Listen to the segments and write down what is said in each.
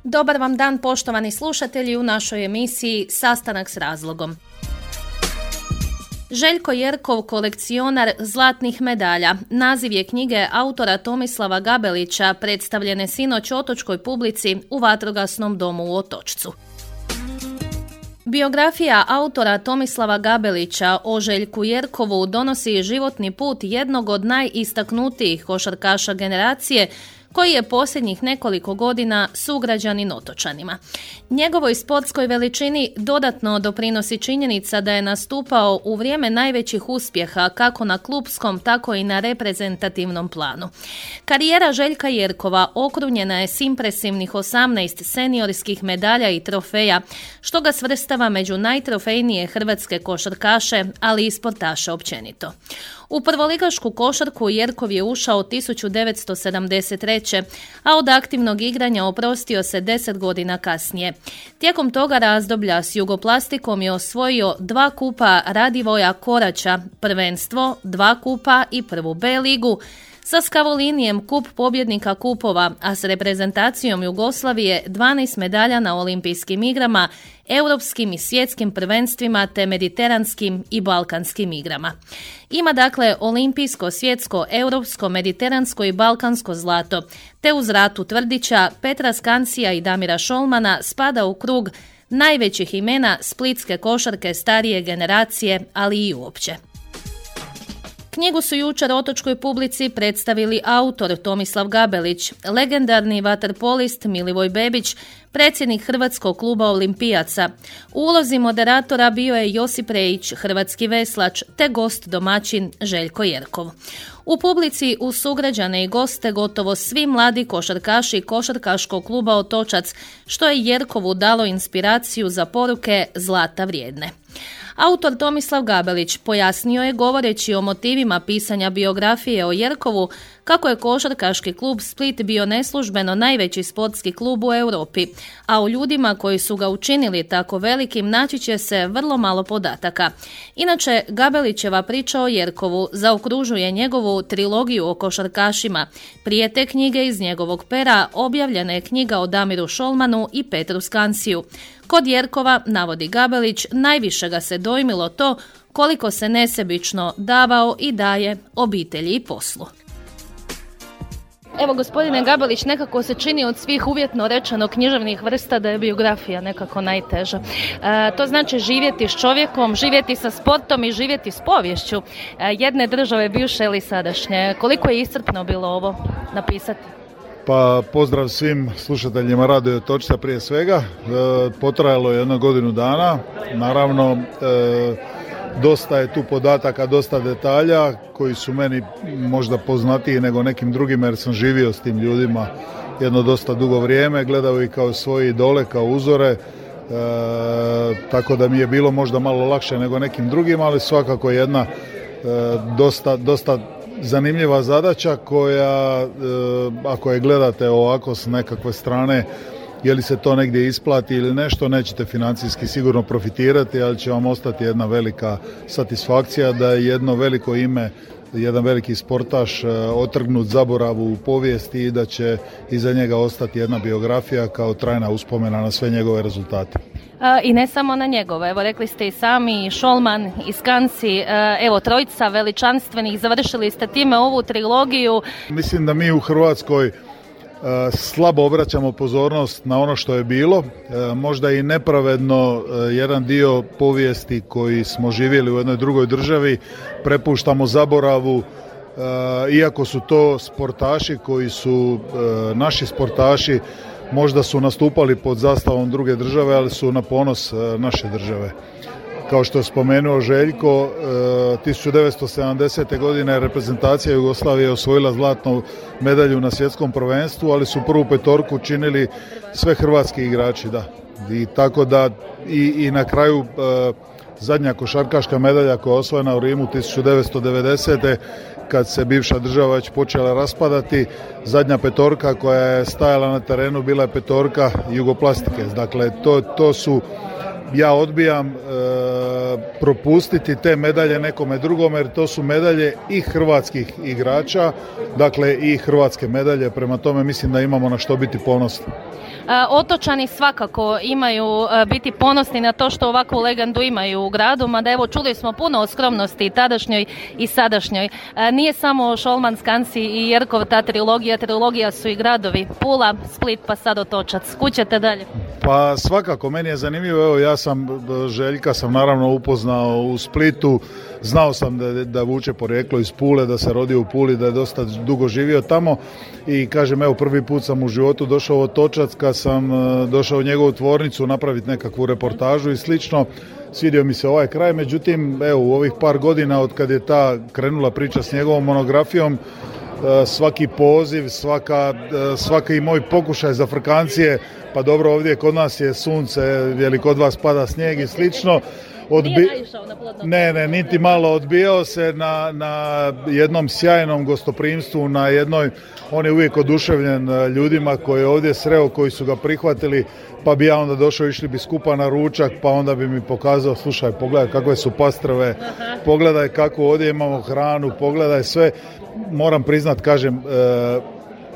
Dobar vam dan, poštovani slušatelji, u našoj emisiji Sastanak s razlogom. Željko Jerkov, kolekcionar zlatnih medalja. Naziv je knjige autora Tomislava Gabelića, predstavljene sinoć otočkoj publici u Vatrogasnom domu u Otočcu. Biografija autora Tomislava Gabelića o Željku Jerkovu donosi životni put jednog od najistaknutijih košarkaša generacije, koji je posljednjih nekoliko godina sugrađanin otočanima. Njegovoj sportskoj veličini dodatno doprinosi činjenica da je nastupao u vrijeme najvećih uspjeha kako na klupskom, tako i na reprezentativnom planu. Karijera Željka Jerkova okrunjena je s impresivnih 18 seniorskih medalja i trofeja, što ga svrstava među najtrofejnije hrvatske košarkaše, ali i sportaše općenito. U prvoligašku košarku Jerkov je ušao 1973. a od aktivnog igranja oprostio se 10 godina kasnije. Tijekom toga razdoblja s Jugoplastikom je osvojio 2 kupa Radivoja Koraća, prvenstvo, 2 kupa i prvu B ligu, sa Skavolinijem kup pobjednika kupova, a s reprezentacijom Jugoslavije 12 medalja na olimpijskim igrama, europskim i svjetskim prvenstvima te mediteranskim i balkanskim igrama. Ima dakle olimpijsko, svjetsko, europsko, mediteransko i balkansko zlato, te uz Ratu Tvrdića, Petra Skansija i Damira Šolmana spada u krug najvećih imena splitske košarke starije generacije, ali i uopće. Knjigu su jučer otočkoj publici predstavili autor Tomislav Gabelić, legendarni vaterpolist Milivoj Bebić, predsjednik Hrvatskog kluba Olimpijaca. U ulozi moderatora bio je Josip Rejić, hrvatski veslač, te gost domaćin Željko Jerkov. U publici uz sugrađane i goste gotovo svi mladi košarkaši košarkaškog kluba Otočac, što je Jerkovu dalo inspiraciju za poruke zlata vrijedne. Autor Tomislav Gabelić pojasnio je, govoreći o motivima pisanja biografije o Jerkovu, kako je košarkaški klub Split bio neslužbeno najveći sportski klub u Europi, a o ljudima koji su ga učinili tako velikim naći će se vrlo malo podataka. Inače, Gabelićeva priča o Jerkovu zaokružuje njegovu trilogiju o košarkašima. Prije te knjige iz njegovog pera objavljena je knjiga o Damiru Šolmanu i Petru Skansiju. Kod Jerkova, navodi Gabelić, najviše ga se dojmilo to koliko se nesebično davao i daje obitelji i poslu. Evo, gospodine Gabelić, nekako se čini od svih uvjetno rečeno književnih vrsta da je biografija nekako najteža. To znači živjeti s čovjekom, živjeti sa sportom i živjeti s poviješću jedne države, bivše ili sadašnje. Koliko je iscrpno bilo ovo napisati? Pa pozdrav svim slušateljima Radio Otočca prije svega. Potrajalo je 1 godinu dana. Naravno, dosta je tu podataka, dosta detalja koji su meni možda poznatiji nego nekim drugim, jer sam živio s tim ljudima jedno dosta dugo vrijeme, gledao ih kao svoje idole, kao uzore, tako da mi je bilo možda malo lakše nego nekim drugim, ali svakako jedna dosta zanimljiva zadaća koja, ako je gledate ovako s nekakve strane, je li se to negdje isplati ili nešto, nećete financijski sigurno profitirati, ali će vam ostati jedna velika satisfakcija da je jedno veliko ime, jedan veliki sportaš otrgnut zaboravu u povijesti i da će iza njega ostati jedna biografija kao trajna uspomena na sve njegove rezultate. I ne samo na njegove, evo rekli ste i sami, i Šolman, i Skansi, evo trojica veličanstvenih, završili ste time ovu trilogiju. Mislim da mi u Hrvatskoj slabo obraćamo pozornost na ono što je bilo, možda i nepravedno jedan dio povijesti koji smo živjeli u jednoj drugoj državi prepuštamo zaboravu, iako su to sportaši koji su naši sportaši, možda su nastupali pod zastavom druge države, ali su na ponos naše države. Kao što je spomenuo Željko, 1970. godine reprezentacija Jugoslavije osvojila zlatnu medalju na svjetskom prvenstvu, ali su prvu petorku činili sve hrvatski igrači, da. I tako da i na kraju zadnja košarkaška medalja koja je osvojena u Rimu 1990. kad se bivša država već počela raspadati, zadnja petorka koja je stajala na terenu bila je petorka Jugoplastike. Dakle, to su ja odbijam propustiti te medalje nekome drugome, jer to su medalje i hrvatskih igrača, dakle i hrvatske medalje, prema tome mislim da imamo na što biti ponosni. Otočani svakako imaju biti ponosni na to što ovakvu legendu imaju u gradu, mada evo čuli smo puno o skromnosti tadašnjoj i sadašnjoj. Nije samo Šolman, Skansi i Jerkov ta trilogija su i gradovi Pula, Split pa sad Otočac. Kućete dalje? Pa svakako, meni je zanimljivo, evo ja sam Željka sam naravno upoznao u Splitu, znao sam da vuče porijeklo iz Pule, da se rodio u Puli, da je dosta dugo živio tamo i kažem evo prvi put sam u životu došao u Otočac kad sam došao u njegovu tvornicu napraviti nekakvu reportažu i slično. Svidio mi se ovaj kraj, međutim evo u ovih par godina od kad je ta krenula priča s njegovom monografijom, svaki poziv, svaki moj pokušaj za frkancije, pa dobro ovdje kod nas je sunce, je li kod vas pada snijeg i slično. Nije naišao na plodno. Ne, niti malo, odbijao se na jednom sjajnom gostoprimstvu, na jednoj, on je uvijek oduševljen ljudima koje je ovdje sreo, koji su ga prihvatili, pa bi ja onda došao, išli bi skupa na ručak, pa onda bi mi pokazao, slušaj, pogledaj kakve su pastrve, pogledaj kako ovdje imamo hranu, pogledaj sve. Moram priznat, kažem,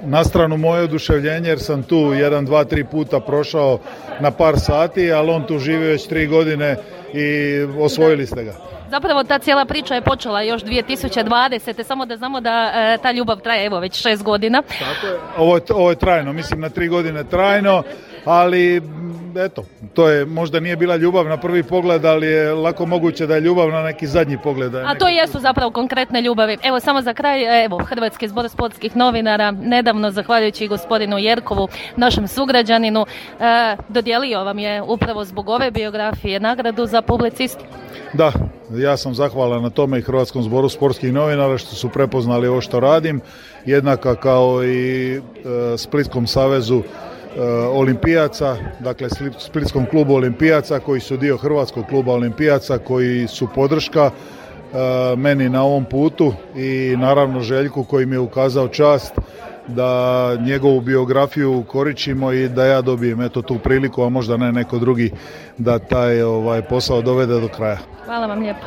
na stranu moje oduševljenje, jer sam tu 1, 2, 3 puta prošao na par sati, ali on tu živi već 3 godine i osvojili ste ga. Zapravo ta cijela priča je počela još 2020. Samo da znamo da ta ljubav traje evo već 6 godina. Tako je. Ovo je trajno, mislim na 3 godine trajno, ali eto, to je, možda nije bila ljubav na prvi pogled, ali je lako moguće da je ljubav na neki zadnji pogled. A to jesu zapravo konkretne ljubavi. Evo samo za kraj, evo Hrvatski zbor sportskih novinara nedavno, zahvaljujući gospodinu Jerkovu, našem sugrađaninu, dodijelio vam je upravo zbog ove biografije nagradu za publicistiku. Da, ja sam zahvalan na tome i Hrvatskom zboru sportskih novinara što su prepoznali ovo što radim, jednaka kao i Splitskom savezu olimpijaca, dakle Splitskom klubu olimpijaca koji su dio Hrvatskog kluba olimpijaca, koji su podrška meni na ovom putu i naravno Željku koji mi je ukazao čast da njegovu biografiju koričimo i da ja dobijem eto tu priliku, a možda ne neko drugi, da taj posao dovede do kraja. Hvala vam lijepo.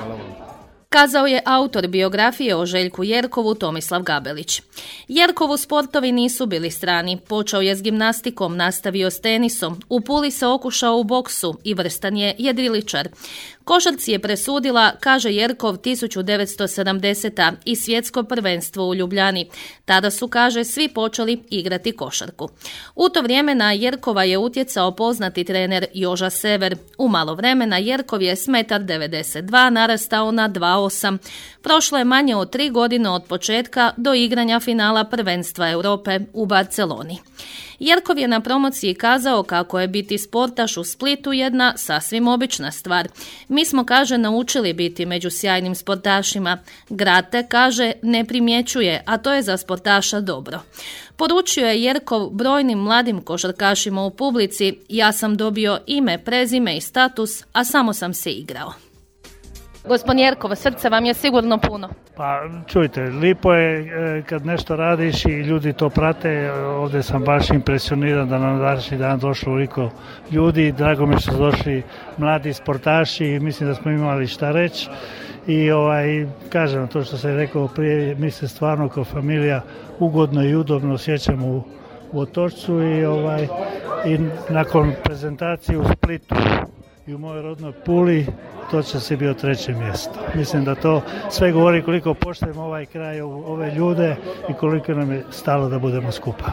Kazao je autor biografije o Željku Jerkovu Tomislav Gabelić. Jerkovu sportovi nisu bili strani. Počeo je s gimnastikom, nastavio s tenisom. U Puli se okušao u boksu i vrstan je jedriličar. Košarci je presudila, kaže Jerkov, 1970. i svjetsko prvenstvo u Ljubljani. Tada su, kaže, svi počeli igrati košarku. U to vrijeme na Jerkova je utjecao poznati trener Joža Sever. U malo vremena Jerkov je s 1,92 m narastao na 2,8. Prošlo je manje od 3 godine od početka do igranja finala prvenstva Europe u Barceloni. Jerkov je na promociji kazao kako je biti sportaš u Splitu jedna sasvim obična stvar. Mi smo, kaže, naučili biti među sjajnim sportašima. Grad te, kaže, ne primjećuje, a to je za sportaša dobro. Poručio je Jerkov brojnim mladim košarkašima u publici: ja sam dobio ime, prezime i status, a samo sam se igrao. Gospodin Jerkov, srce vam je sigurno puno. Pa čujte, lipo je kad nešto radiš i ljudi to prate. Ovdje sam baš impresioniran da nam današnji dan došlo ovoliko ljudi. Drago mi što su došli mladi sportaši i mislim da smo imali šta reći. I kažem, to što sam rekao prije, mi se stvarno kao familija ugodno i udobno osjećamo u Otočcu i nakon prezentacije u Splitu i u mojoj rodnoj Puli, Otočac je bio 3. mjesto. Mislim da to sve govori koliko poštujemo ovaj kraj, ove ljude i koliko nam je stalo da budemo skupa.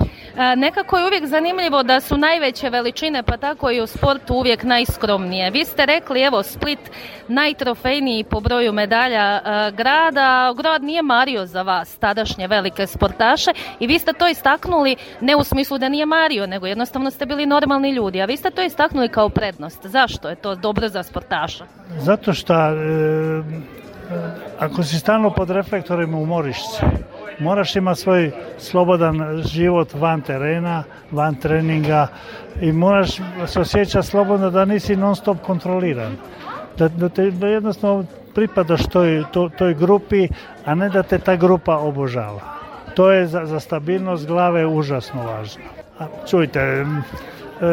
Nekako je uvijek zanimljivo da su najveće veličine, pa tako i u sportu, uvijek najskromnije. Vi ste rekli, evo, Split najtrofejniji po broju medalja grada. Grad nije mario za vas, tadašnje velike sportaše, i vi ste to istaknuli ne u smislu da nije mario, nego jednostavno ste bili normalni ljudi, a vi ste to istaknuli kao prednost. Zašto je to dobro za sportaša? Zato što ako si stalno pod reflektorima umoriš se. Moraš imati svoj slobodan život van terena, van treninga i moraš se osjećati slobodno da nisi non stop kontroliran. Da jednostavno pripadaš toj grupi, a ne da te ta grupa obožava. To je za stabilnost glave užasno važno. A čujte,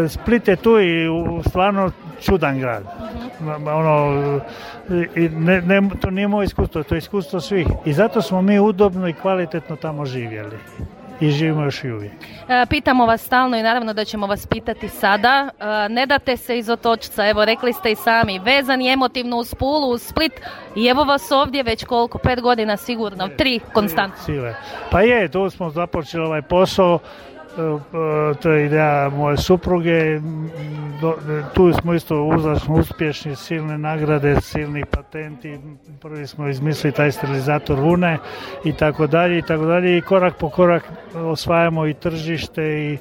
Split je tu i stvarno čudan grad. To nije moje iskustvo, to je iskustvo svih. I zato smo mi udobno i kvalitetno tamo živjeli. I živimo još i uvijek. Pitamo vas stalno i naravno da ćemo vas pitati sada. Ne date se iz Otočca, evo rekli ste i sami, vezani emotivno uz Pulu, uz Split i evo vas ovdje već koliko, 5 godina sigurno, 3 konstantno. Pa je, tu smo započeli ovaj posao, to je ideja moje supruge, tu smo isto uzračno uspješni, silne nagrade, silni patenti, prvi smo izmislili taj sterilizator vune i tako dalje i korak po korak osvajamo i tržište i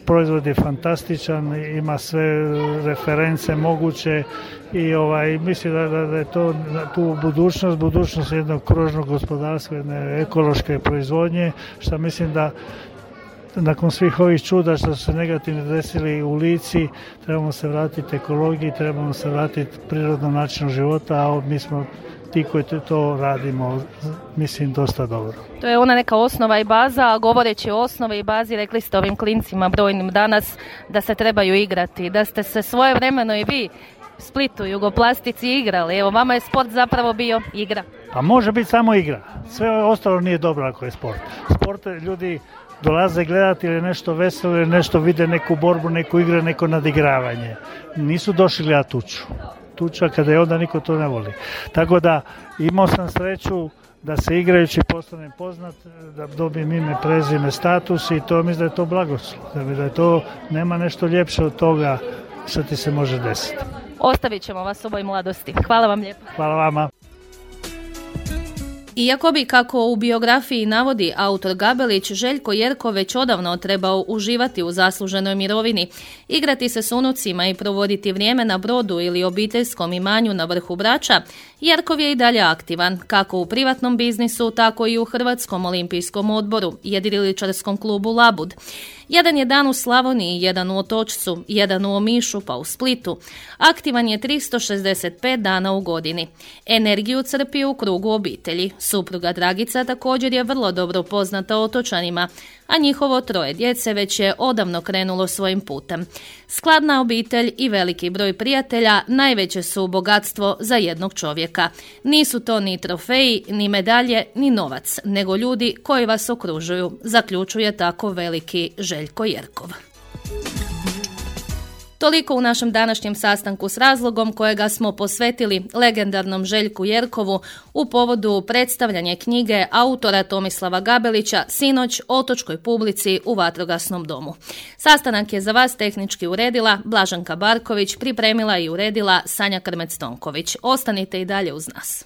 proizvod je fantastičan, ima sve reference moguće i mislim da je to tu budućnost jednog kružnog gospodarstva, jedne ekološke proizvodnje, što mislim da nakon svih ovih čuda što su se negativno desili u Lici, trebamo se vratiti ekologiji, trebamo se vratiti prirodnom načinu života, a mi smo ti koji to radimo, mislim, dosta dobro. To je ona neka osnova i baza, a govoreći o osnovi i bazi, rekli ste ovim klincima brojnim danas da se trebaju igrati, da ste se svojevremeno i vi Splitu, Jugoplastici igrali. Evo, vama je sport zapravo bio igra. Pa može biti samo igra. Sve ostalo nije dobro ako je sport. Sport ljudi dolaze gledati ili nešto veselo, ili nešto vide, neku borbu, neku igru, neko nadigravanje. Nisu došli gledati tuču. Tuča kada je onda niko to ne voli. Tako da imao sam sreću da se igrajući postanem poznat, da dobijem ime, prezime, status i to mislim da je to blagoslov. Da je to, nema nešto ljepše od toga što ti se može desiti. Ostavit ćemo vas u ovoj mladosti. Hvala vam lijepo. Hvala vama. Iako bi, kako u biografiji navodi autor Gabelić, Željko Jerkov već odavno trebao uživati u zasluženoj mirovini, igrati se s unucima i provoditi vrijeme na brodu ili obiteljskom imanju na vrhu Brača, Jerkov je i dalje aktivan, kako u privatnom biznisu, tako i u Hrvatskom olimpijskom odboru, jedriličarskom klubu Labud. Jedan je dan u Slavoniji, jedan u Otočcu, jedan u Omišu pa u Splitu. Aktivan je 365 dana u godini. Energiju crpi u krugu obitelji. Supruga Dragica također je vrlo dobro poznata Otočanima, a njihovo 3 djece već je odavno krenulo svojim putem. Skladna obitelj i veliki broj prijatelja najveće su bogatstvo za jednog čovjeka. Nisu to ni trofeji, ni medalje, ni novac, nego ljudi koji vas okružuju, zaključuje tako veliki Željko Jerkov. Toliko u našem današnjem sastanku s razlogom kojega smo posvetili legendarnom Željku Jerkovu u povodu predstavljanja knjige autora Tomislava Gabelića sinoć otočkoj publici u Vatrogasnom domu. Sastanak je za vas tehnički uredila Blaženka Barković, pripremila i uredila Sanja Krmec-Tonković. Ostanite i dalje uz nas.